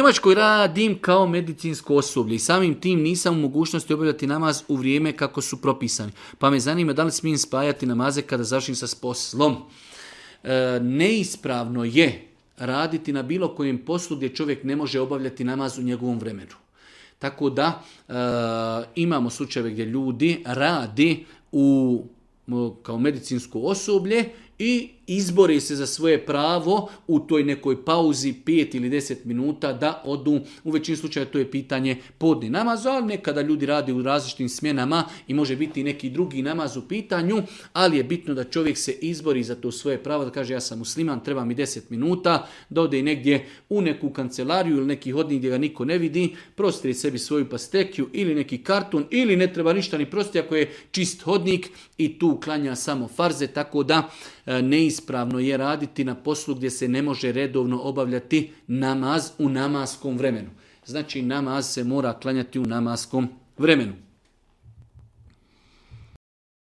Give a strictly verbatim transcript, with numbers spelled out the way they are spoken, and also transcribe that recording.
Njemačkoj radim kao medicinsko osoblje i samim tim nisam u mogućnosti obavljati namaz u vrijeme kako su propisani. Pa me zanima da li smijem spajati namaze kada završim sa poslom. E, neispravno je raditi na bilo kojem poslu gdje čovjek ne može obavljati namaz u njegovom vremenu. Tako da e, imamo slučajeve gdje ljudi radi u, kao medicinsko osoblje i izbori se za svoje pravo u toj nekoj pauzi pet ili deset minuta da odu. U većini slučaja to je pitanje podni namaz, ali nekada ljudi radi u različitim smjenama i može biti i neki drugi namaz u pitanju, ali je bitno da čovjek se izbori za to svoje pravo, da kaže ja sam musliman, treba mi deset minuta, da ode negdje u neku kancelariju ili neki hodnik gdje ga niko ne vidi, prostri sebi svoju pastekiju ili neki karton ili ne treba ništa ni prosti ako je čist hodnik i tu klanja samo farze, tako da neispravno je raditi na poslu gdje se ne može redovno obavljati namaz u namaskom vremenu. Znači namaz se mora klanjati u namaskom vremenu.